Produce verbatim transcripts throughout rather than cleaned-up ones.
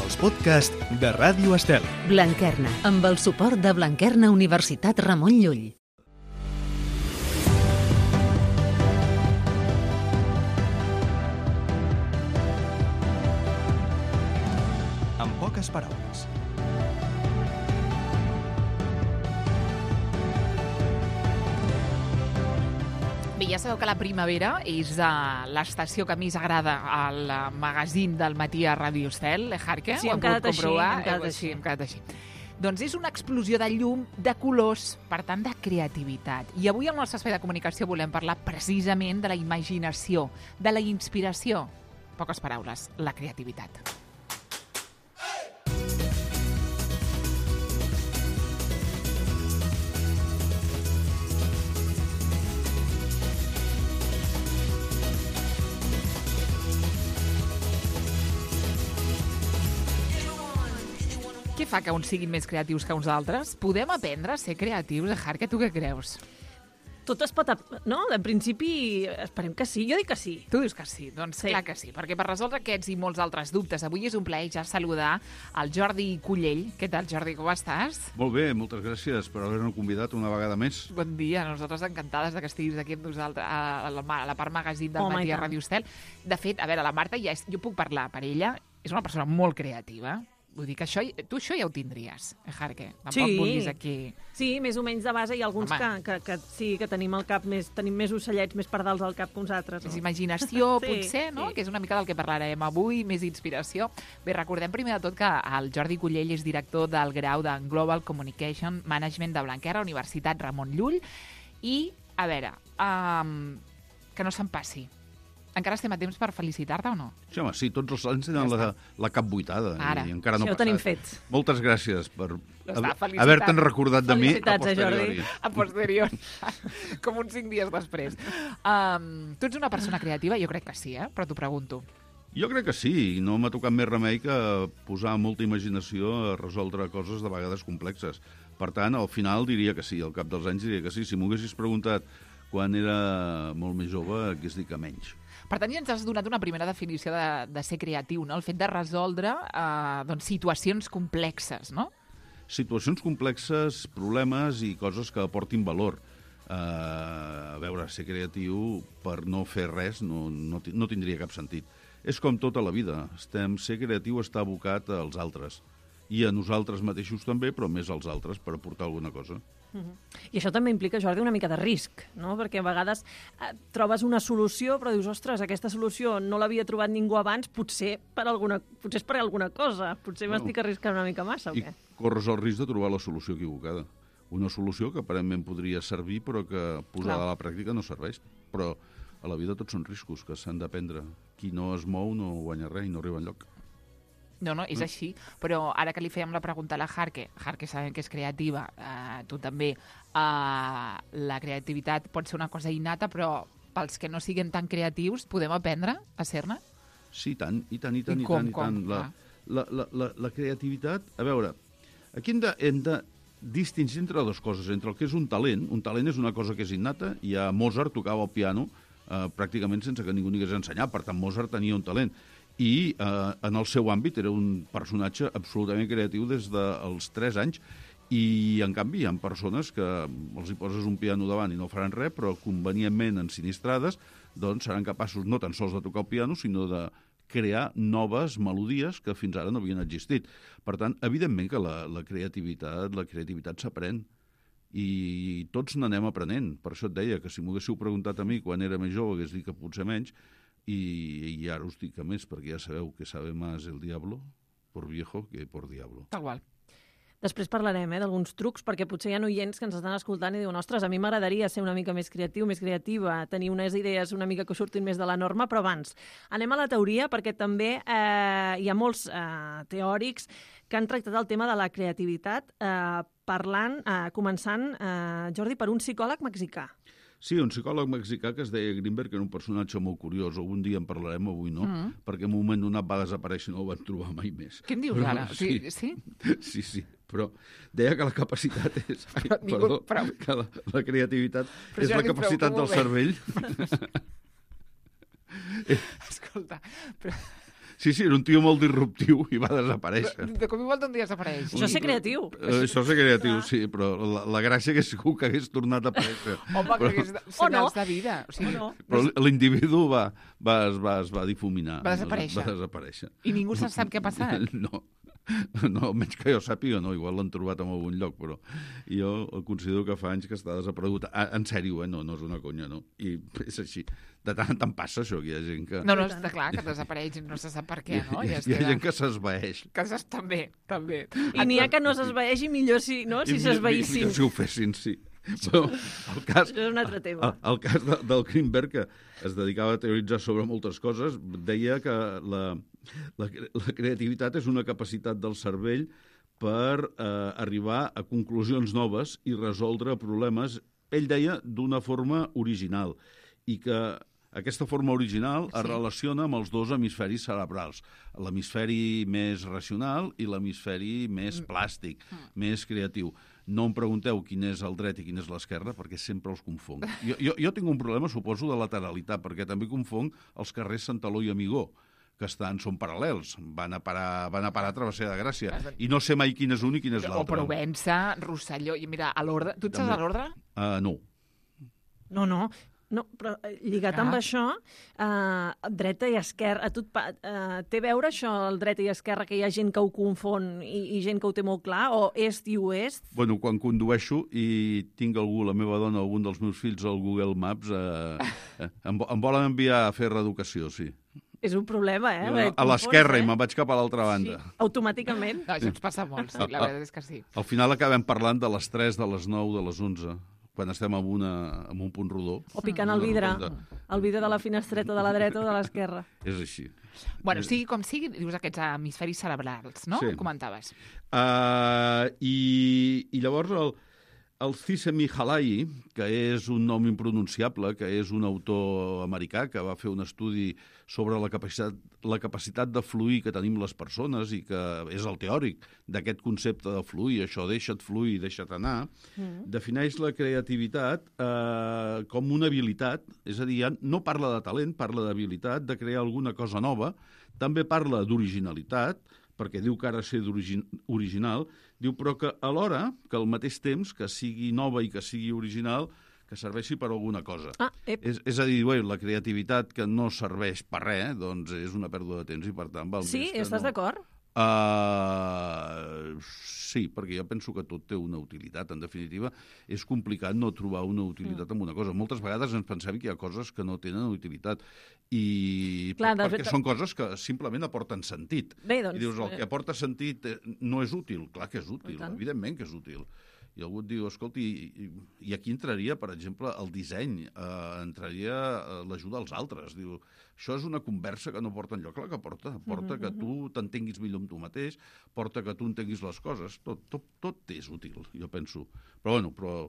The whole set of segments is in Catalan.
els podcasts de Ràdio Estel. Blanquerna, amb el suport de Blanquerna Universitat Ramon Llull. En poques paraules. Bé, ja sabeu que la primavera és uh, l'estació que més agrada al uh, magazín del matí a Ràdio Estel, eh, Jarque? Sí, hem quedat així, hem quedat eh, així. Sí, hem quedat així. Doncs és una explosió de llum, de colors, per tant, de creativitat. I avui al nostre espai de comunicació volem parlar precisament de la imaginació, de la inspiració. Poques paraules, la creativitat. Què fa que uns siguin més creatius que uns altres? Podem aprendre a ser creatius, Jarque, tu què creus? Tot es pot... ap- No? En principi, esperem que sí. Jo dic que sí. Tu dius que sí, doncs Sí. clar que sí, perquè per resoldre aquests i molts altres dubtes, avui és un plaer ja saludar el Jordi Cullell. Què tal, Jordi, com estàs? Molt bé, moltes gràcies per haver-nos convidat una vegada més. Bon dia, nosaltres encantades de que estiguis aquí amb nosaltres a la, a la part magazín del Home, matí i a tant. Ràdio Estel. De fet, a veure, la Marta ja és, jo puc parlar per ella, és una persona molt creativa. Vull dir que això, tu això ja ho tindries, eh, Jarque? Tampoc Sí. vulguis aquí... Sí, més o menys de base. Hi ha alguns que, Home. que, que sí, que tenim al cap més, tenim més ocellets, més pardals al cap que uns altres. Més No? imaginació, Sí, potser, no? sí. Que és una mica del que parlarem avui, més inspiració. Bé, recordem primer de tot que el Jordi Cullell és director del grau de Global Communication Management de Blanquerna, Universitat Ramon Llull. I, a veure, um, que no se'n passi. Encara estem a temps per felicitar-te o no? Sí, home, sí, tots els anys tenen la, la cap buitada. Ara. I encara no Això ha ho tenim passat. fet. Moltes gràcies per Està, felicitat. haver-te'n recordat de mi a Felicitats, eh, Jordi. posteriori. A posteriori, com uns cinc dies després. Um, tu ets una persona creativa? Jo crec que sí, eh? Però t'ho pregunto. Jo crec que sí, i no m'ha tocat més remei que posar molta imaginació a resoldre coses de vegades complexes. Per tant, al final diria que sí, al cap dels anys diria que sí. Si m'ho haguessis preguntat quan era molt més jove, hagués dit que menys. Per tant, ja ens has donat una primera definició de, de ser creatiu, no? El fet de resoldre eh, doncs, situacions complexes, no? Situacions complexes, problemes i coses que aportin valor. Uh, a veure, ser creatiu per no fer res no, no, ti- no tindria cap sentit. És com tota la vida. Estem, ser creatiu està abocat als altres. I a nosaltres mateixos també, però més als altres per aportar alguna cosa. I això també implica, Jordi, una mica de risc, no? Perquè a vegades eh, trobes una solució, però dius, ostres, aquesta solució no l'havia trobat ningú abans, potser per alguna, potser és per alguna cosa, potser Bueno. m'estic arriscant una mica massa, o I què? corres el risc de trobar la solució equivocada. Una solució que aparentment podria servir, però que posada Clar. a la pràctica no serveix. Però a la vida tots són riscos que s'han de prendre. Qui no es mou no guanya res i no arriba enlloc. No, no, és així. Però ara que li fèiem la pregunta a la Jarque, Jarque sabem que és creativa, eh, tu també, eh, la creativitat pot ser una cosa innata, però pels que no siguin tan creatius, podem aprendre a ser-ne? Sí, i tant, i tant, i tant, I i, com, tant, i com? tant. La, Ah. la, la, la, la creativitat... A veure, aquí hem de, hem de distingir entre dues coses, entre el que és un talent. Un talent és una cosa que és innata, i a Mozart tocava el piano eh, pràcticament sense que ningú n'hi hagués ensenyat, per tant Mozart tenia un talent. I eh, en el seu àmbit era un personatge absolutament creatiu des dels tres anys, i en canvi hi ha persones que els hi poses un piano davant i no faran res, però convenientment ensinistrades, doncs seran capaços no tan sols de tocar el piano, sinó de crear noves melodies que fins ara no havien existit. Per tant, evidentment que la, la creativitat la creativitat s'aprèn, i tots n'anem aprenent. Per això et deia que si m'ho haguéssiu preguntat a mi quan era més jove hagués dit que potser menys, i, i ara us dic que més, perquè ja sabeu que sabe más el diablo por viejo que por diablo. Tal qual. Després parlarem eh, d'alguns trucs, perquè potser hi ha oients que ens estan escoltant i diuen, ostres, a mi m'agradaria ser una mica més creatiu, més creativa, tenir unes idees una mica que surtin més de la norma, però abans anem a la teoria, perquè també eh, hi ha molts eh, teòrics que han tractat el tema de la creativitat eh, parlant, eh, començant, eh, Jordi, per un psicòleg mexicà. Sí, un psicòleg mexicà que es deia Greenberg, que era un personatge molt curiós. Algun dia en parlarem, avui no, mm. perquè en un moment donat va desaparèixer i no el van trobar mai més. Què em dius Però, ara? Sí, Sí? sí, sí, però deia que la capacitat és... Ai, Però ningú- perdó, però- que la, la creativitat Però és Jordi, la capacitat però del com ho cervell. Escolta, però... Sí, sí, era un tio molt disruptiu i va desaparèixer. De cop i volta un dia desapareix. Això és ser creatiu. Eh, Això és ser creatiu, sí, però la, la gràcia que segur que hagués tornat a aparèixer. Home, que Però- hagués de- O no. senyals de vida. O sigui, O no. Però l'individu va, va, es, va, es va difuminar. Va desaparèixer. Va desaparèixer. I ningú se sap què ha passat. No. No, almenys que jo sàpiga, no, igual l'han trobat en algun lloc, però jo considero que fa anys que està desaparegut. Ah, en sèrio, eh? No, no és una conya, no? I és així. De tant en tant passa això, que hi ha gent que... No, no, està clar que desapareix, no se sap per què, no? Hi, I es hi ha queda... gent que s'esvaeix. Que s'es... També, també. I n'hi ha que no s'esvaeixi millor si, no? si I s'esvaïssin. millor si ho fessin, sí. Però el cas, Això és un altre tema. el, el cas de, del Greenberg, que es dedicava a teoritzar sobre moltes coses, deia que la, la, la creativitat és una capacitat del cervell per eh, arribar a conclusions noves i resoldre problemes, ell deia, d'una forma original, i que aquesta forma original es Sí. relaciona amb els dos hemisferis cerebrals, l'hemisferi més racional i l'hemisferi més plàstic, més creatiu. No em pregunteu quin és el dret i quin és l'esquerra, perquè sempre els confonc. Jo, jo, jo tinc un problema, suposo, de lateralitat, perquè també confonc els carrers Santaló i Amigó, que estan, són paral·lels, van a parar, van a parar a Travessera de Gràcia, i no sé mai quin és un i quin és O l'altre. Provença, Rosselló... I mira, a l'ordre... Tu et saps També. a l'ordre? Uh, no. No, no. No, però eh, lligat Ah. amb això, eh, dreta i esquerra, a tu et pa, eh, té a veure això, el dreta i esquerra, que hi ha gent que ho confon i, i gent que ho té molt clar, o est i oest? Bueno, quan condueixo i tinc algú, la meva dona, algun dels meus fills al Google Maps, eh, eh, em, vo- em volen enviar a fer reeducació, sí. És un problema, eh? Jo, Perquè et a l'esquerra confons, i me'n vaig cap a l'altra banda. Sí, automàticament. No, això ens passa molt, sí, la veritat és que sí. Al final acabem parlant de les tres, de les nou, de les onze, quan estem en, una, en un punt rodó. O picant el vidre, De- el vidre de la finestreta de la dreta o de l'esquerra. És així. Bueno, sigui com sigui, dius aquests hemisferis cerebrals, no? Sí. Comentaves. Uh, i, I llavors el, el Csikszentmihalyi, que és un nom impronunciable, que és un autor americà que va fer un estudi sobre la capacitat, la capacitat de fluir que tenim les persones i que és el teòric d'aquest concepte de fluir, això deixa't fluir, deixa't anar, mm. defineix la creativitat eh, com una habilitat, és a dir, ja no parla de talent, parla d'habilitat, de crear alguna cosa nova, també parla d'originalitat, perquè diu que ha de ser d'origin- original, diu però que alhora, que al mateix temps, que sigui nova i que sigui original, que serveixi per alguna cosa. Ah, ep. És, és a dir, bé, la creativitat que no serveix per res, doncs és una pèrdua de temps i per tant val Sí, més que estàs no. d'acord? Uh, sí, perquè jo penso que tot té una utilitat. En definitiva, és complicat no trobar una utilitat mm. en una cosa. Moltes vegades ens pensem que hi ha coses que no tenen utilitat i Clar, de perquè fet- són coses que simplement aporten sentit. Bé, doncs, I dius, el eh, que aporta sentit eh, no és útil. Clar que és útil, I tant. evidentment que és útil. I algú et diu, escolti, i, i aquí entraria, per exemple, el disseny, eh, entraria eh, l'ajuda als altres. Diu, això és una conversa que no porta enlloc. Clar que porta. Porta que tu t'entenguis millor amb tu mateix, porta que tu entenguis les coses. Tot, tot, tot és útil, jo penso. Però, bueno, però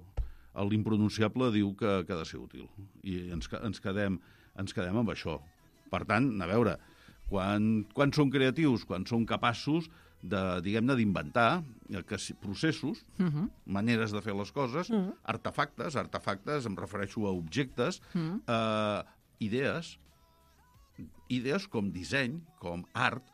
l'impronunciable diu que, que ha de ser útil. I ens, ca- ens, quedem, ens quedem amb això. Per tant, a veure, quan, quan són creatius, quan són capaços de, diguem-ne, d'inventar eh, que si- processos, uh -huh. maneres de fer les coses, uh -huh. artefactes, artefactes, em refereixo a objectes, uh -huh. eh, idees, idees com disseny, com art,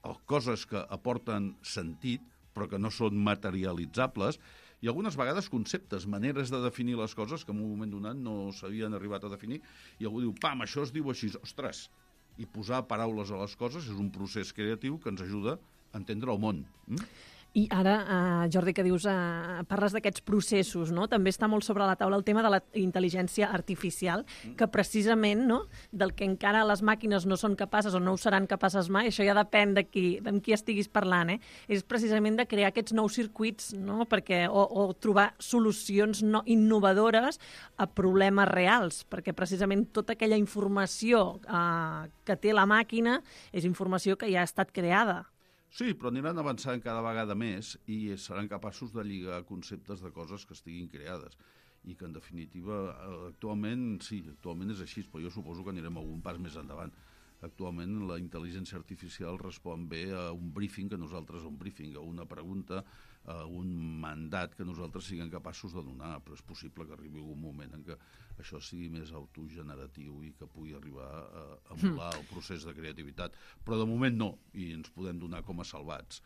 o coses que aporten sentit, però que no són materialitzables, i algunes vegades conceptes, maneres de definir les coses que en un moment donat no s'havien arribat a definir, i algú diu, pam, això es diu així, ostres, i posar paraules a les coses és un procés creatiu que ens ajuda a entendre el món. Mm? I ara, uh, Jordi, que dius, uh, parles d'aquests processos, no? També està molt sobre la taula el tema de la intel·ligència artificial, que precisament, no?, del que encara les màquines no són capaces o no ho seran capaces mai, això ja depèn de qui, de qui estiguis parlant, eh? És precisament de crear aquests nous circuits, no?, perquè, o, o trobar solucions no, innovadores a problemes reals, perquè precisament tota aquella informació uh, que té la màquina és informació que ja ha estat creada. Sí, però aniran avançant cada vegada més i seran capaços de lligar conceptes de coses que estiguin creades i que, en definitiva, eh, actualment, sí, actualment és així, però jo suposo que anirem algun pas més endavant. Actualment la intel·ligència artificial respon bé a un briefing, que nosaltres a un briefing, a una pregunta uh, un mandat que nosaltres siguem capaços de donar, però és possible que arribi un moment en què això sigui més autogeneratiu i que pugui arribar a emular mm. el procés de creativitat. Però de moment no, i ens podem donar com a salvats.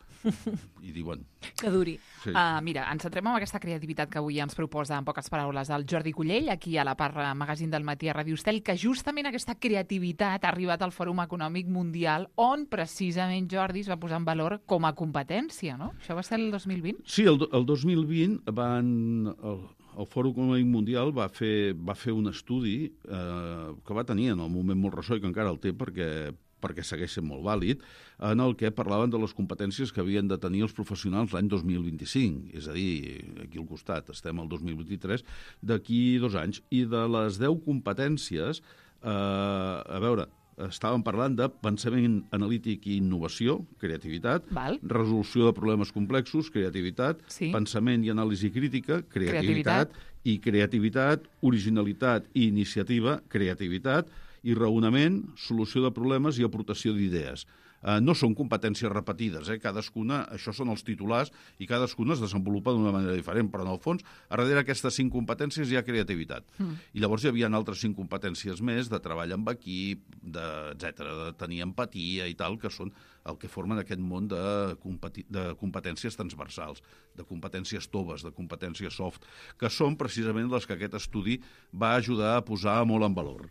I diuen... Que duri. Sí. Uh, mira, ens centrem en aquesta creativitat que avui ens proposa, en poques paraules, el Jordi Cullell, aquí a la Parra Magazín del Matí a Ràdio Estel, que justament aquesta creativitat ha arribat al Fòrum Econòmic Mundial, on precisament Jordi es va posar en valor com a competència, no? Això va ser el dos mil vint? Sí, el, el dos mil vint van... El... El Fòrum Econòmic Mundial va fer, va fer un estudi eh, que va tenir en el moment molt ressò i que encara el té perquè, perquè segueix sent molt vàlid, en el que parlaven de les competències que havien de tenir els professionals l'any dos mil vint-i-cinc, és a dir, aquí al costat, estem al dos mil vint-i-tres, d'aquí dos anys. I de les deu competències, eh, a veure... Estàvem parlant de pensament analític i innovació, creativitat, Val. resolució de problemes complexos, creativitat, sí. pensament i anàlisi crítica, creativitat, creativitat, i creativitat, originalitat i iniciativa, creativitat, i raonament, solució de problemes i aportació d'idees. Uh, no són competències repetides, eh? Cadascuna, això són els titulars, i cadascuna es desenvolupa d'una manera diferent, però en el fons, a darrere d'aquestes cinc competències hi ha creativitat. Mm. I llavors hi havia altres cinc competències més, de treball amb equip, de, etcètera, de tenir empatia i tal, que són el que formen aquest món de, competi- de competències transversals, de competències toves, de competències soft, que són precisament les que aquest estudi va ajudar a posar molt en valor.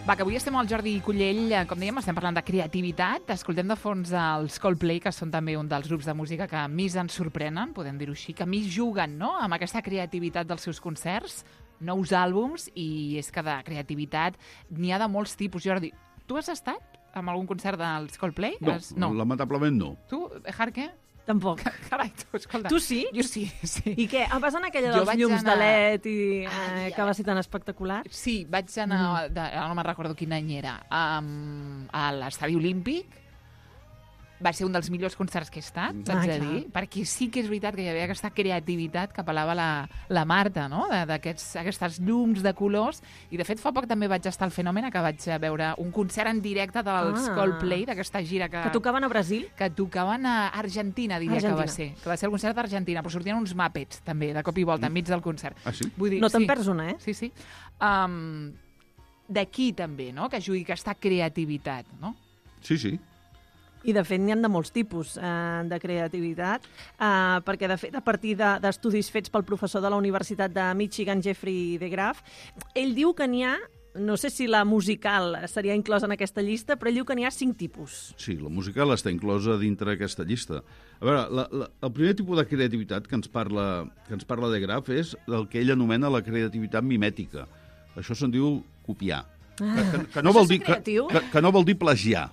Va, que avui estem amb el Jordi Cullell, com dèiem, estem parlant de creativitat, escoltem de fons els Coldplay, que són també un dels grups de música que més ens sorprenen, podem dir-ho així, que més juguen, no?, amb aquesta creativitat dels seus concerts, nous àlbums, i és que de creativitat n'hi ha de molts tipus. Jordi, tu has estat en algun concert dels Coldplay? No, has... no. lamentablement no. Tu, Jarque? Tampoc. Carai, tu, escolta. Tu sí? Jo sí, sí. I què? Vas anar aquella Jo dels vaig llums anar- de L E D i eh, Ai, que va ser tan espectacular? Sí, vaig anar, mm. de, ara no me'n recordo quin any era, um, a l'Estadi Olímpic. Va ser un dels millors concerts que he estat, Ah, t'haig de clar. dir, perquè sí que és veritat que hi havia aquesta creativitat que apel·lava la, la Marta, no?, De- d'aquests aquestes llums de colors, i de fet fa poc també vaig estar al Fenòmena, que vaig veure un concert en directe dels Ah. Coldplay, d'aquesta gira que... Que tocaven a Brasil? que tocaven a Argentina, diria Argentina. que va ser. Que va ser el concert d'Argentina, però sortien uns Muppets, també, de cop i volta, enmig del concert. Ah, sí? Vull dir, No te'n sí. perds una, eh? Sí, sí. Um, D'aquí també, no?, que jugui aquesta creativitat, no? Sí, sí. I, de fet, n'hi ha de molts tipus eh, de creativitat, eh, perquè, de fet, a partir de- d'estudis fets pel professor de la Universitat de Michigan, Jeffrey DeGraff, ell diu que n'hi ha, no sé si la musical seria inclosa en aquesta llista, però ell diu que n'hi ha cinc tipus. Sí, la musical està inclosa dintre d'aquesta llista. A veure, la, la, el primer tipus de creativitat que ens parla, que ens parla de Graf és el que ell anomena la creativitat mimètica. Això se'n diu copiar. Ah, Que, que, no això vol és dir, que, creatiu? que, que no vol dir plagiar.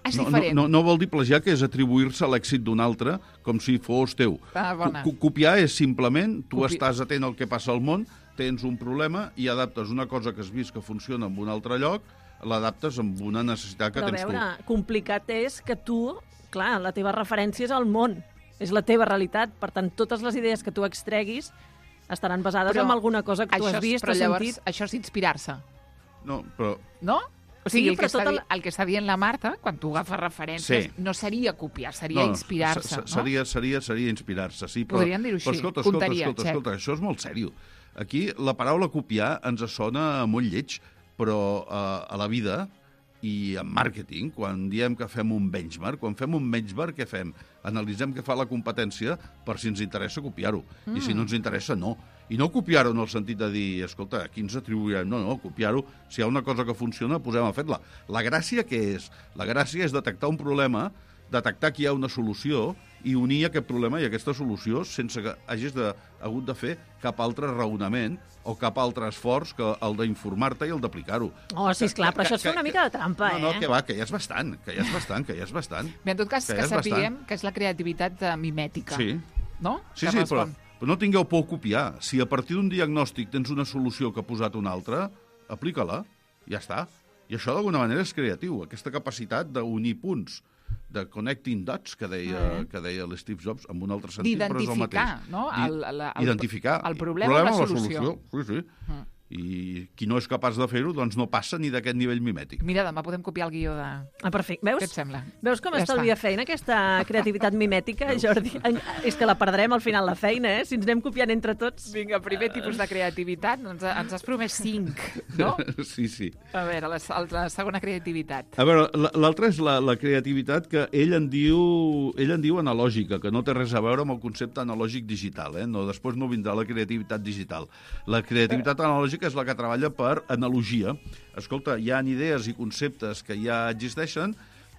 És no, diferent. no, no, no vol dir plagiar, que és atribuir-se a l'èxit d'un altre com si fos teu. Ah, bona. Co- copiar és simplement, tu Copi- estàs atent al que passa al món, tens un problema i adaptes una cosa que has vist que funciona en un altre lloc, l'adaptes amb una necessitat que Però a tens veure, complicat és que tu, clar, la teva referència és el món, és la teva realitat, per tant, totes les idees que tu extreguis estaran basades Però en alguna cosa que tu això, has vist però o llavors, sentit. això és inspirar-se, tu. No, però no? O sigui, Sí, el, que però està, tota di- la- el que està dient la Marta, quan tu agafes referències, Sí. no seria copiar, seria inspirar-se, se- se- no? Seria, seria, seria inspirar-se, sí. Però, Podríem dir-ho però així, escolta, escolta, contaria, escolta, check. escolta, això és molt sèrio. Aquí la paraula copiar ens sona molt lleig, però eh, a la vida i en màrqueting, quan diem que fem un benchmark, quan fem un benchmark, què fem? Analitzem què fa la competència per si ens interessa copiar-ho. Mm. I si no ens interessa, no. I no copiar-ho en el sentit de dir, escolta, aquí ens atribuirem. No, no, copiar-ho. Si hi ha una cosa que funciona, posem a fer-la. La gràcia què és? La gràcia és detectar un problema, detectar que hi ha una solució i unir aquest problema i aquesta solució sense que hagis de, hagut de fer cap altre raonament o cap altre esforç que el d'informar-te i el d'aplicar-ho. Oh, sí, esclar, però això és fer una mica de trampa, eh? No, no, que va, que ja és bastant, que ja és bastant, que ja és bastant. Bé, en tot cas, que, ja que és sapiguem bastant. que és la creativitat eh, mimètica. Sí. No? Sí, Que sí, respon. però, però no tingueu por a copiar. Si a partir d'un diagnòstic tens una solució que ha posat una altra, aplica-la, ja està. I això d'alguna manera és creatiu, aquesta capacitat d'unir punts, de connecting dots, que deia, Ah, eh? que deia l'Steve Jobs, amb un altre sentit, però és el D'identificar, mateix. no? Di- El, el, el, Identificar el problema, problema o o la solució. Sí, sí. Mm. I qui no és capaç de fer-ho, doncs no passa ni d'aquest nivell mimètic. Mira, demà podem copiar el guió de... Ah, perfecte. Veus? Què et sembla? Veus com Ja estalvia està. feina, aquesta creativitat mimètica, Jordi? En- És que la perdrem al final, la feina, eh? Si ens anem copiant entre tots. Vinga, primer tipus de creativitat, ens, ens has promès cinc, no? Sí, sí. A veure, la, la segona creativitat. A veure, la- l'altra és la, la creativitat que ell en diu ell en diu analògica, que no té res a veure amb el concepte analògic digital. Eh? No, després no vindrà la creativitat digital. La creativitat analògica és la que treballa per analogia. Escolta, hi ha idees i conceptes que ja existeixen,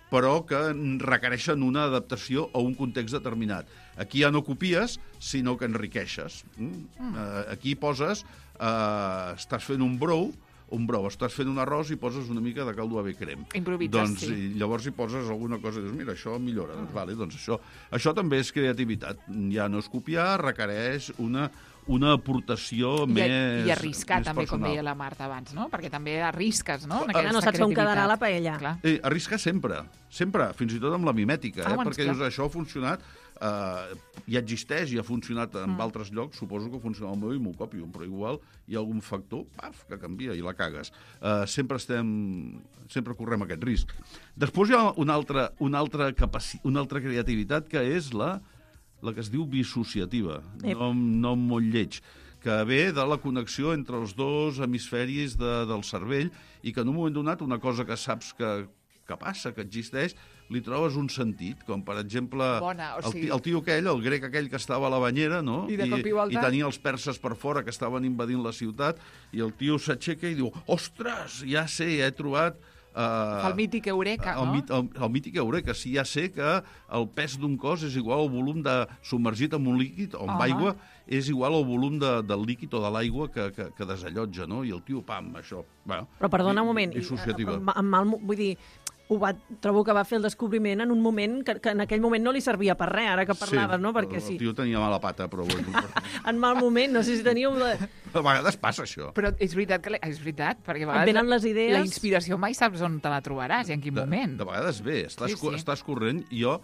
però que requereixen una adaptació a un context determinat. Aquí ja no copies, sinó que enriqueixes. Mm? Mm. Uh, aquí poses, uh, estàs fent un brou, un brou, estàs fent un arròs i poses una mica de caldo ave crem. Improvises, doncs, sí. i llavors hi poses alguna cosa i dius, mira, això millora. Doncs, vale, doncs això, això també és creativitat. Ja no és copiar, requereix una, una aportació I, més I arriscar, més també, com personal. deia la Marta abans, no? Perquè també arrisques, no? En Ja no aquesta saps on quedarà creativitat. la paella. Clar. Eh, arriscar sempre, sempre, fins i tot amb la mimètica, Ah, eh? doncs, perquè clar. dius, això ha funcionat, eh, ja existeix i ha funcionat en Mm. altres llocs, suposo que funciona al meu i m'ho copio, però igual hi ha algun factor, paf, que canvia i la cagues. Eh, sempre estem, sempre correm aquest risc. Després hi ha una altra, una altra, capaci una altra creativitat que és la, la que es diu dissociativa, Ep. nom, nom molt lleig, que ve de la connexió entre els dos hemisferis de, del cervell i que en un moment donat una cosa que saps que, que passa, que existeix, li trobes un sentit, com per exemple Bona, o el, sigui- ti- el tio aquell, el grec aquell que estava a la banyera, no? I de cop i volta- i tenia els perses per fora que estaven invadint la ciutat, i el tio s'aixeca i diu, ostres, ja sé, ja he trobat... Uh, El mític Eureka, el, no? mit- el, el mític Eureka, sí, ja sé que el pes d'un cos és igual al volum de submergit en un líquid o amb Ah. aigua, és igual al volum de, del líquid o de l'aigua que, que, que desallotja, no? I el tio, pam, això... Bueno, Però perdona un moment, i, dissociativa. amb, amb mal, vull dir, ho va, trobo que va fer el descobriment en un moment que, que en aquell moment no li servia per res, ara que parlaves, sí, no? Perquè el sí, tio tenia mala pata, però bueno, en mal moment, no sé si teníeu... La... a vegades passa això. Però és veritat, que la- és veritat, perquè a Et vegades venen les idees... la inspiració mai saps on te la trobaràs i en quin De, moment. de vegades bé, estàs, Sí, sí, sí. sí. estàs corrent, i jo...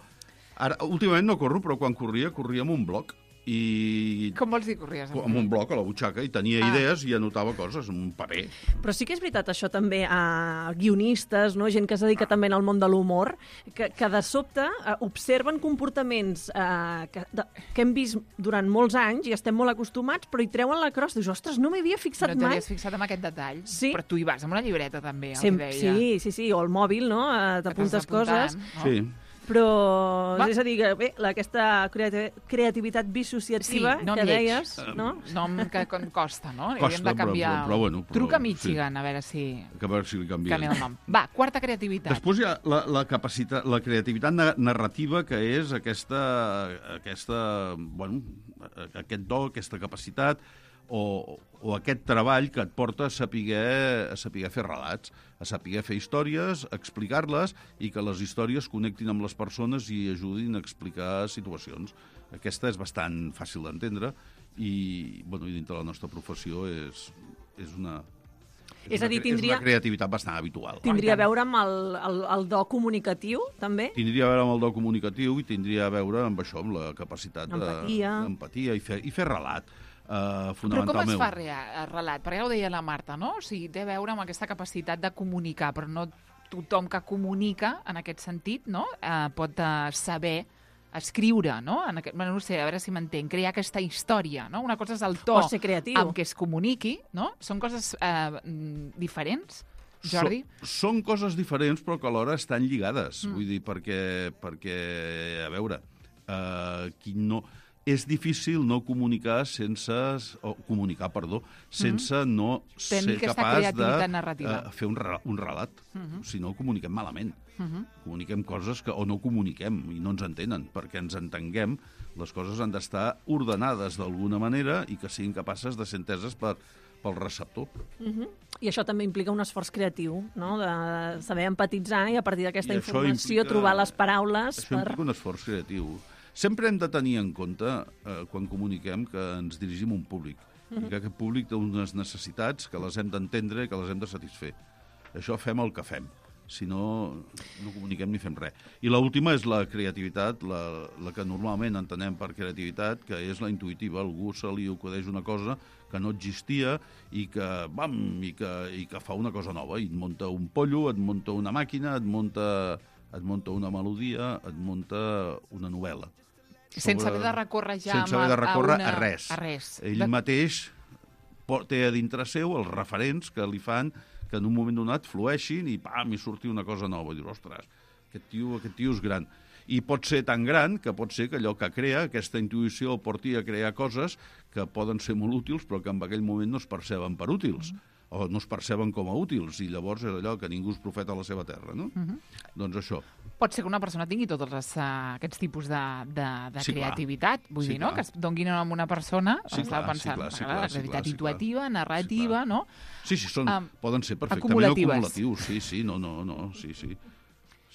Ara, últimament no corro, però quan corria, corria amb un bloc, i Com vols dir corries? amb un bloc a la butxaca, i tenia Ah. idees i anotava coses, en un paper. Però sí que és veritat això també a guionistes, no? Gent que es dedica també al món de l'humor, que, que de sobte eh, observen comportaments eh, que, de, que hem vist durant molts anys i estem molt acostumats, però hi treuen la crosta. Dius, ostres, no m'hi havia fixat No mai. t'havies fixat en aquest detall? Sí. Però tu hi vas amb una llibreta, també, el Sem que deia. sí, sí, sí, o el mòbil, no? Eh, T'apuntes Que t'has coses. apuntant, no? Sí. Però, Va. és a dir, que bé, la, aquesta creati creativitat dissociativa Sí, nom que lleig. deies, no? Nom que com costa, no? Costa, Hauríem de canviar... però- però bueno, però- Truca a sí. Michigan, a veure si Que a veure si li canvia. canvia el nom. Va, quarta creativitat. Després hi ha la, la, capacitat, la creativitat na narrativa, que és aquesta, aquesta, bueno, aquest do, aquesta capacitat, o, o aquest treball que et porta a saber, a saber fer relats, a saber fer històries, explicar-les, i que les històries connectin amb les persones i ajudin a explicar situacions. Aquesta és bastant fàcil d'entendre, i, bueno, i dintre la nostra professió és, és una... És a dir, una, tindria- és una creativitat bastant habitual. Tindria a tant. veure amb el, el, el do comunicatiu, també? Tindria a veure amb el do comunicatiu i tindria a veure amb això, amb la capacitat Empatia. d'empatia i, fer, i fer relat, uh, Però com es fonamentalment. fa rea, el relat? Perquè ja ho deia la Marta, no? O sigui, té a veure amb aquesta capacitat de comunicar, però no tothom que comunica, en aquest sentit, no? Eh, pot eh, saber escriure, no? En aquest, bueno, no sé, a veure si m'entenc, crear aquesta història, no? Una cosa és el to O ser creatiu. amb què es comuniqui, no? Són coses eh, mm, diferents, Jordi? So, són coses diferents, però que alhora estan lligades. Mm. Vull dir, perquè, perquè a veure, uh, qui no... és difícil no comunicar sense... O comunicar, perdó, sense mm-hmm. no Tenir ser capaç de narrativa. uh, fer un, re, un relat. Mm-hmm. Si no, comuniquem malament. Mm-hmm. Comuniquem coses que o no comuniquem i no ens entenen. Perquè ens entenguem, les coses han d'estar ordenades d'alguna manera i que siguin capaces de ser enteses per, pel receptor. Mm-hmm. I això també implica un esforç creatiu, no? De saber empatitzar i a partir d'aquesta informació implica, trobar les paraules. Això per... implica un esforç creatiu. Sempre hem de tenir en compte, eh, quan comuniquem, que ens dirigim a un públic. Mm-hmm. I que aquest públic té unes necessitats que les hem d'entendre i que les hem de satisfer. Això fem el que fem. Si no, no comuniquem ni fem res. I l'última és la creativitat, la, la que normalment entenem per creativitat, que és la intuïtiva. Algú se li acudeix una cosa que no existia i que, bam, i que, i que fa una cosa nova. I et munta un pollo, et munta una màquina, et munta, et munta una melodia, et munta una novel·la. Sense haver de recórrer ja sense haver de recórrer a, una... a res. A res. Ell de... mateix té a dintre seu els referents que li fan que en un moment donat flueixin i pam, i surti una cosa nova. I dius, ostres, aquest tio, aquest tio és gran. I pot ser tan gran que pot ser que allò que crea, aquesta intuïció, porti a crear coses que poden ser molt útils però que en aquell moment no es perceben per útils. Mm. o no es perceben com a útils, i llavors és allò que ningú és profeta a la seva terra, no? Uh-huh. Doncs això. Pot ser que una persona tingui tots els, uh, aquests tipus de, de, de sí, creativitat, clar. vull sí, dir, no? Clar. Que es donguin a una persona, sí, estava clar, pensant, sí, clar, sí, clar, clar, la creativitat sí, clar, intuitiva, sí, narrativa, sí, no? Sí, sí, són, um, poden ser perfectament acumulatives. acumulatius, sí, sí, no, no, no, sí, sí.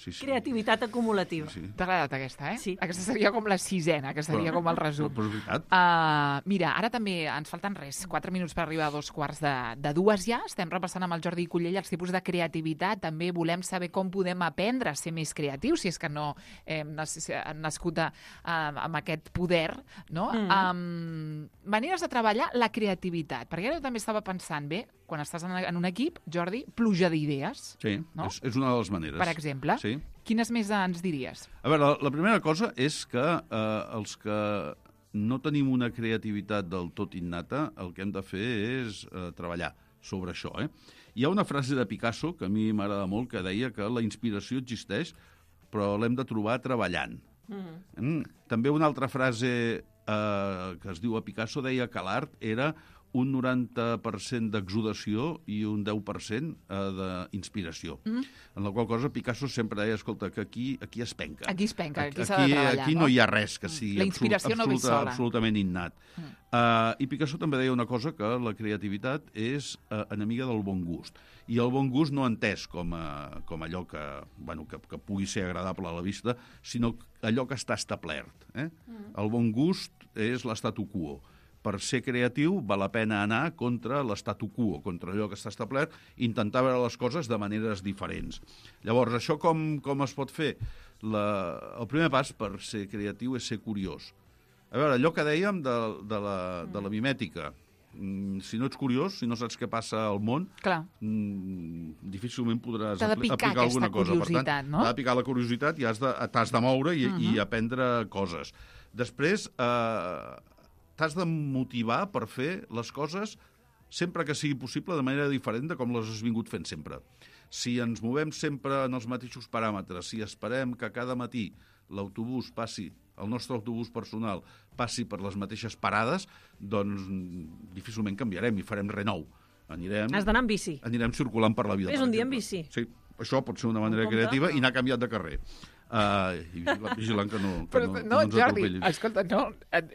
Sí, sí. Creativitat acumulativa. Sí. T'ha agradat aquesta, eh? Sí. Aquesta seria com la sisena, que seria però, com el resum. Però, però és veritat. Uh, mira, ara també ens falten res, quatre minuts per arribar a dos quarts de, de dues ja. Estem repassant amb el Jordi Cullell els tipus de creativitat. També volem saber com podem aprendre a ser més creatius, si és que no hem nascut a, a, amb aquest poder, no? Mm. Um, maneres de treballar la creativitat. Perquè jo també estava pensant, bé, quan estàs en, en un equip, Jordi, pluja d'idees. Sí, no? és, és una de les maneres. Per exemple. Sí. Quines més ens diries? A veure, la, la primera cosa és que eh, els que no tenim una creativitat del tot innata, el que hem de fer és eh, treballar sobre això. Eh? Hi ha una frase de Picasso que a mi m'agrada molt, que deia que la inspiració existeix, però l'hem de trobar treballant. Mm. Mm. També una altra frase eh, que es diu a Picasso deia que l'art era un noranta per cent d'exudació i un deu per cent eh, d'inspiració. Mm. En la qual cosa Picasso sempre deia, escolta, que aquí, aquí es penca. Aquí es penca, aquí, aquí s'ha de treballar. Aquí no, no hi ha res que sigui la inspiració absolut, no ve absoluta, sola. absolutament innat. Mm. Uh, I Picasso també deia una cosa, que la creativitat és uh, enemiga del bon gust. I el bon gust no entès com, a, com allò que, bueno, que, que pugui ser agradable a la vista, sinó allò que està establert. Eh? Mm. El bon gust és l'statu quo. Per ser creatiu val la pena anar contra l'statu quo, contra allò que està establert, i intentar veure les coses de maneres diferents. Llavors, això com, com es pot fer? La, el primer pas per ser creatiu és ser curiós. A veure, allò que dèiem de, de, la, de la mimètica, si no ets curiós, si no saps què passa al món, clar, difícilment podràs t'ha de picar aplicar alguna cosa. Per tant, no? T'ha de picar la curiositat i has de, t'has de moure i, uh-huh. i aprendre coses. Després, eh, t'has de motivar per fer les coses sempre que sigui possible de manera diferent de com les has vingut fent sempre. Si ens movem sempre en els mateixos paràmetres, si esperem que cada matí l'autobús passi, el nostre autobús personal passi per les mateixes parades, doncs difícilment canviarem i farem res nou. Anirem, Has d'anar amb bici. Anirem circulant per la vida. És per un dia exemple. amb bici. Sí, això pot ser una manera creativa i anar canviat de carrer. Uh, i vigilant que no, que Però, no, no, no ens Jordi, atropellin. escolta, no,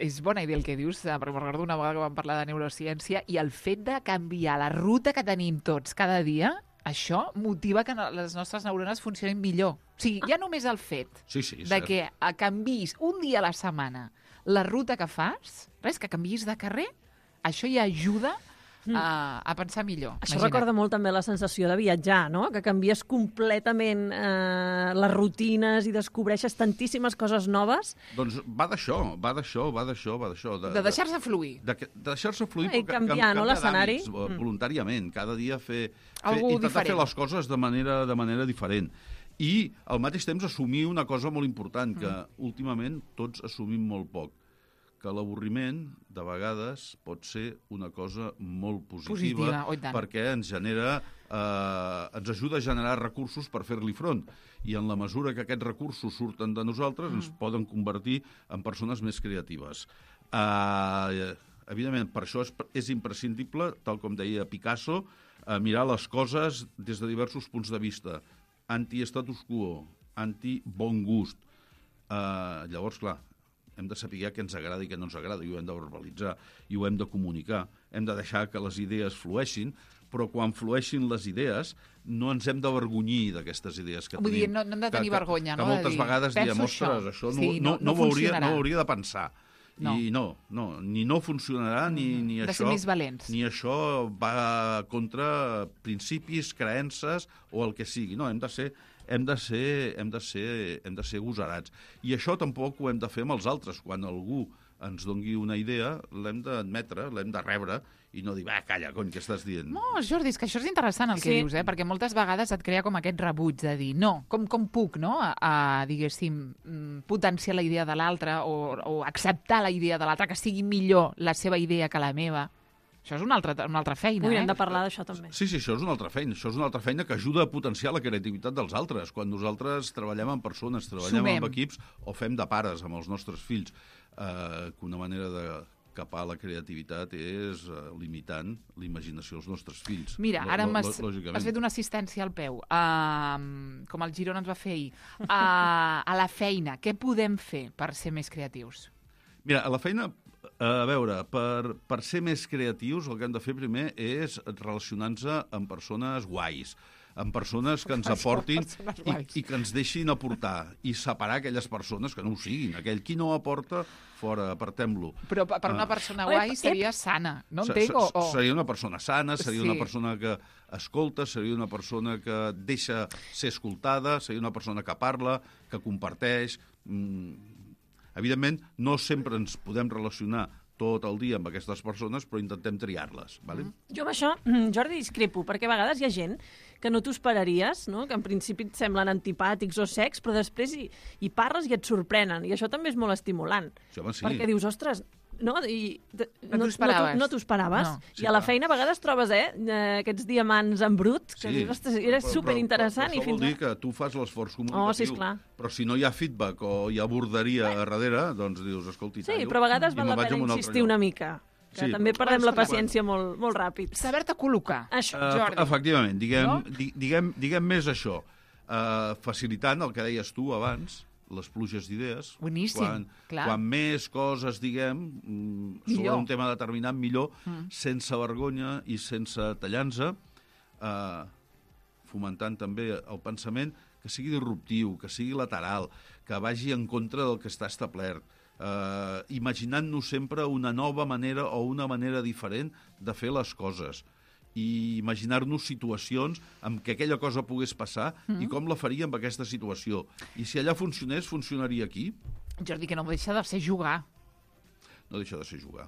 és bona idea el que dius, però recordo una vegada que vam parlar de neurociència i el fet de canviar la ruta que tenim tots cada dia, això motiva que les nostres neurones funcionin millor. O sigui, ja només el fet sí, sí, de que canviïs un dia a la setmana la ruta que fas, res, que canviïs de carrer, això ja ajuda a, a pensar millor. Això Imagina't. recorda molt també la sensació de viatjar, no? Que canvies completament eh, les rutines i descobreixes tantíssimes coses noves. Doncs va d'això, va d'això, va d'això, va d'això. De, de deixar-se fluir. De, de deixar-se fluir, I canviar, no, l'escenari? Mm. Voluntàriament, cada dia fer, fer Algú intentar diferent. fer les coses de manera, de manera diferent. I al mateix temps assumir una cosa molt important, que mm. últimament tots assumim molt poc, que l'avorriment, de vegades, pot ser una cosa molt positiva, Positiva, oi tant. perquè ens genera, eh, ens ajuda a generar recursos per fer-li front. I en la mesura que aquests recursos surten de nosaltres, mm. ens poden convertir en persones més creatives. Eh, evidentment, per això és, és imprescindible, tal com deia Picasso, eh, mirar les coses des de diversos punts de vista. Anti-status quo, anti-bon gust. Eh, llavors, clar, hem de saber què ens agrada i què no ens agrada, i ho hem de verbalitzar, i ho hem de comunicar. Hem de deixar que les idees flueixin, però quan flueixin les idees no ens hem d'avergonyir d'aquestes idees que Vull tenim. dir, no, no hem de tenir que, vergonya, que, no? Que moltes de dir, vegades diem, ostres, això, això no, sí, no, no, no, ho hauria, funcionarà. no ho hauria de pensar. No. I no, no, ni no funcionarà, ni, ni de això... ser més valents. Ni això va contra principis, creences o el que sigui. No, hem de ser... Hem de, ser, hem, de ser, hem de ser gosarats. I això tampoc ho hem de fer amb els altres. Quan algú ens dongui una idea, l'hem d'admetre, l'hem de rebre, i no dir, va, calla, cony, què estàs dient? No, Jordi, és que això és interessant el que Sí. dius, eh? Perquè moltes vegades et crea com aquest rebuig de dir, no, com, com puc, no?, a, a diguéssim, mm, potenciar la idea de l'altre o, o acceptar la idea de l'altre, que sigui millor la seva idea que la meva. Això és una altra, una altra feina, Ui, eh? hem de parlar d'això també. Sí, sí, això és una altra feina. Això és una altra feina que ajuda a potenciar la creativitat dels altres. Quan nosaltres treballem amb persones, treballem Sumem. amb equips o fem de pares amb els nostres fills, eh, que una manera de capar la creativitat és eh, limitant l'imaginació dels nostres fills. Mira, Lo- ara lo- m'has lògicament. has fet una assistència al peu, uh, com el Girona ens va fer ahir. Uh, a la feina, què podem fer per ser més creatius? Mira, a la feina, a veure, per, per ser més creatius el que hem de fer primer és relacionar-nos amb persones guais, amb persones que ens aportin Persones i, guais. i que ens deixin aportar, i separar aquelles persones que no ho siguin. Aquell qui no aporta, fora, apartem-lo. Però per per una Ah. persona Ep, guai ep. seria sana, no Se- entenc? O, se- o... Seria una persona sana, seria Sí. una persona que escolta, seria una persona que deixa ser escoltada, seria una persona que parla, que comparteix. Mm, evidentment, no sempre ens podem relacionar tot el dia amb aquestes persones, però intentem triar-les. Vale? Mm. Jo amb això, mm, Jordi, discrepo, perquè a vegades hi ha gent que no t'ho esperaries, no? Que en principi et semblen antipàtics o secs, però després hi, hi parles i et sorprenen, i això també és molt estimulant. Sí, home, sí. Perquè dius, ostres, no, i, de, No t'ho esperaves. No, t'ho esperaves. No. Sí, I a la clar. feina a vegades trobes eh, eh, aquests diamants en brut, que dius, ostres, era però- superinteressant. Però, però, i però fins això vol dir a... que tu fas l'esforç comunicatiu. Oh, sí, esclar. Però si no hi ha feedback o hi ha borderia a darrere, doncs dius, escolti, Sí, tallo però a vegades i val me'n la vaig a pena un altre insistir lloc. una mica. Que Sí, també però- perdem la Clar, paciència molt, molt ràpid. Saber-te col·locar. Això. Uh, Jordi. efectivament, diguem, No? di, diguem, diguem més això. Uh, facilitant el que deies tu abans, les pluges d'idees. Boníssim, quan, clar. Quan més coses diguem mm, sobre Millor. un tema determinat, millor, Mm. sense vergonya i sense tallança, uh, fomentant també el pensament que sigui disruptiu, que sigui lateral, que vagi en contra del que està establert, uh, imaginant-nos sempre una nova manera o una manera diferent de fer les coses i imaginar-nos situacions en què aquella cosa pogués passar mm. i com la faria amb aquesta situació. I si allà funcionés, funcionaria aquí? Jordi, que no deixa de ser jugar. No deixa de ser jugar.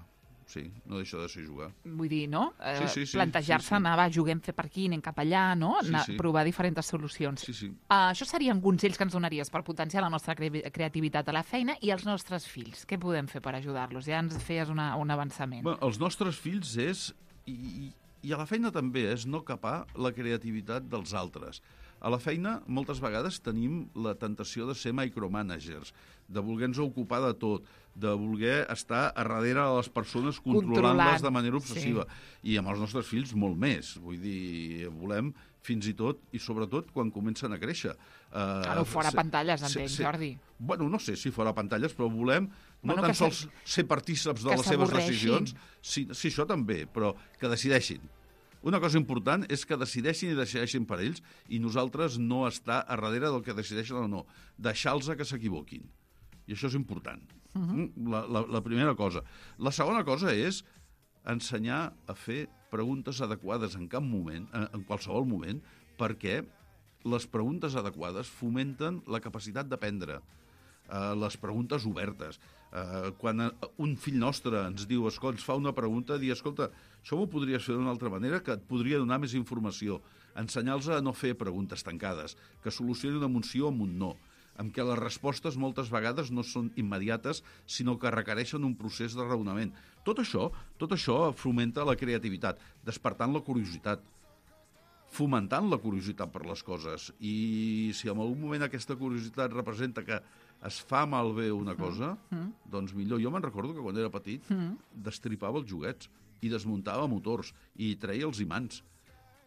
Sí, no deixa de ser jugar. Vull dir, no? Eh, Sí, sí, sí, Plantejar-se, sí, sí. anar, va, juguem fer per aquí, anem cap allà, no? Sí, Anar, sí. provar diferents solucions. Sí, sí. Uh, això serien consells que ens donaries per potenciar la nostra cre creativitat a la feina i els nostres fills. Què podem fer per ajudar-los? Ja ens feies una, un avançament. Bé, els nostres fills és, i, i a la feina també, és no capar la creativitat dels altres. A la feina, moltes vegades tenim la tentació de ser micromanagers, de voler-nos ocupar de tot, de voler estar a darrere de les persones controlant-les Controlant, de manera obsessiva. sí. I amb els nostres fills molt més. Vull dir, volem fins i tot, i sobretot quan comencen a créixer. Uh, Claro, fora pantalles, entenc, Jordi. Bueno, no sé si fora pantalles, però volem no Bueno, tan que se- sols ser partíceps de que les seves s'avorreixin. decisions, sí, sí, això també, però que decideixin. Una cosa important és que decideixin i decideixin per ells i nosaltres no estar a darrere del que decideixen o no. Deixar-los que s'equivoquin. I això és important. Uh -huh. la, la, la primera cosa. La segona cosa és ensenyar a fer preguntes adequades en cap moment, en, en qualsevol moment, perquè les preguntes adequades fomenten la capacitat d'aprendre. Uh, les preguntes obertes. Uh, quan uh, un fill nostre ens diu, escolta, ens fa una pregunta, dir, escolta, això m'ho podries fer d'una altra manera, que et podria donar més informació. Ensenyar-los a no fer preguntes tancades, que solucioni una emoció amb un no. en què les respostes moltes vegades no són immediates, sinó que requereixen un procés de raonament. Tot això, tot això fomenta la creativitat, despertant la curiositat, fomentant la curiositat per les coses. I si en algun moment aquesta curiositat representa que es fa malbé una cosa, mm. doncs millor. Jo me'n recordo que quan era petit mm. destripava els joguets i desmuntava motors i treia els imants.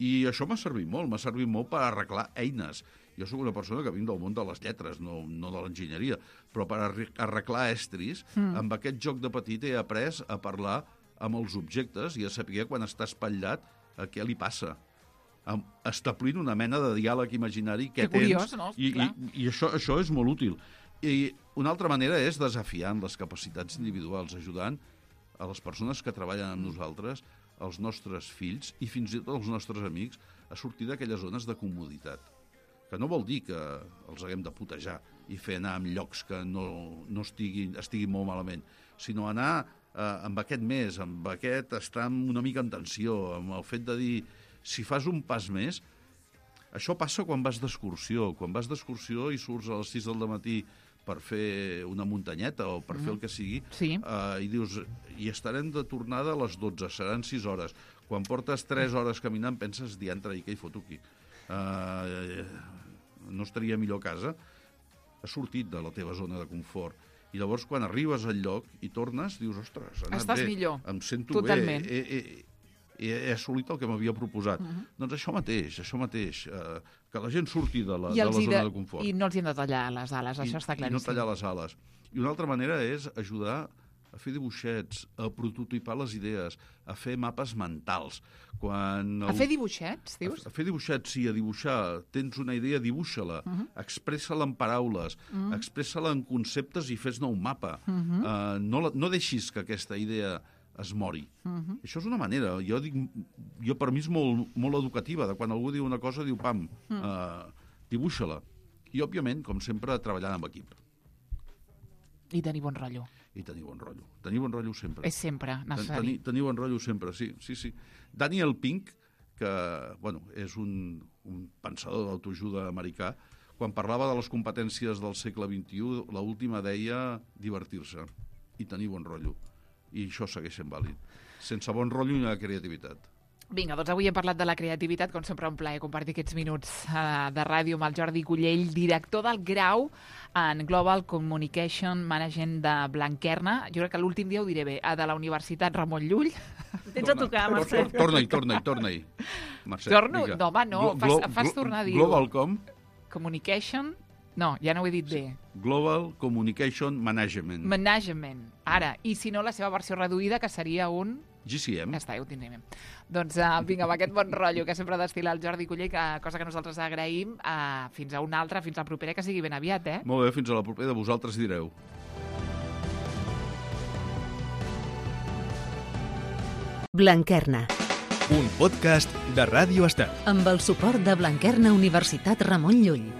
I això m'ha servit molt, m'ha servit molt per arreglar eines. Jo sóc una persona que vinc del món de les lletres, no, no de l'enginyeria, però per arreglar estris, mm. amb aquest joc de petit he après a parlar amb els objectes i a saber quan està espatllat a què li passa. Establint una mena de diàleg imaginari que tens. Curiós, no? I, i, i això, això és molt útil. I una altra manera és desafiant les capacitats individuals, ajudant a les persones que treballen amb nosaltres, els nostres fills i fins i tot els nostres amics a sortir d'aquelles zones de comoditat. Que no vol dir que els haguem de putejar i fer anar en llocs que no, no estiguin, estiguin molt malament, sinó anar eh, amb aquest més, amb aquest estar una mica en tensió, amb el fet de dir, si fas un pas més, això passa quan vas d'excursió. Quan vas d'excursió i surts a les sis del matí per fer una muntanyeta o per mm. fer el que sigui, sí. eh, i dius, i estarem de tornada a les dotze, seran sis hores. Quan portes tres hores caminant, penses, diantre, i què hi foto aquí? Eh, no estaria millor a casa? Has sortit de la teva zona de confort. I llavors, quan arribes al lloc i tornes, dius, ostres, ha anat Estàs bé, millor. Em sento Totalment. bé, he, he, he, he assolit el que m'havia proposat. Uh-huh. Doncs això mateix, això mateix, eh, que la gent surti de la, de la zona de, de confort. I no els hi hem de tallar les ales, I, això està claríssim. I no tallar les ales. I una altra manera és ajudar a fer dibuixets, a prototipar les idees, a fer mapes mentals. Quan a fer dibuixets, dius? A, a fer dibuixets, sí, a dibuixar. Tens una idea, dibuixa-la, uh-huh. expressa-la en paraules, uh-huh. expressa-la en conceptes i fes-ne un mapa. Uh-huh. uh, no, la, no deixis que aquesta idea es mori. Uh-huh. Això és una manera. Jo dic, jo per mi és molt, molt educativa, de quan algú diu una cosa, diu, pam, uh-huh. uh, dibuixa-la. I, òbviament, com sempre, treballant amb equip. I tenir bon rotllo. I tenir bon rotllo. Tenir bon rotllo sempre. És sempre necessari. Tenir, tenir bon rotllo sempre, sí. sí, sí. Daniel Pink, que bueno, és un, un pensador d'autoajuda americà, quan parlava de les competències del segle vint-i-u, l'última deia divertir-se i tenir bon rotllo. I això segueix sent vàlid. Sense bon rotllo ni la creativitat. Vinga, doncs avui hem parlat de la creativitat, com sempre un plaer compartir aquests minuts uh, de ràdio amb el Jordi Cullell, director del grau en Global Communication Management de Blanquerna. Jo crec que l'últim dia ho diré bé, de la Universitat Ramon Llull. Tens a tocar, Mercè. Torna-hi, torna-hi, torna-hi. Mercè, Torno? vinga. No, home, no, Glo fas, fas tornar a dir-ho. Global com? Communication... No, ja no ho he dit bé. Global Communication Management. Management. Ara, i si no, la seva versió reduïda, que seria un... G C M. Ja està, ja ho tindrem. Doncs uh, vinga, amb aquest bon rotllo que sempre destil·la el Jordi Cullell, que, cosa que nosaltres agraïm, uh, fins a una altra, fins a la propera, que sigui ben aviat, eh? Molt bé, fins a la propera, vosaltres direu. Blanquerna. Un podcast de Ràdio Estel. Amb el suport de Blanquerna Universitat Ramon Llull.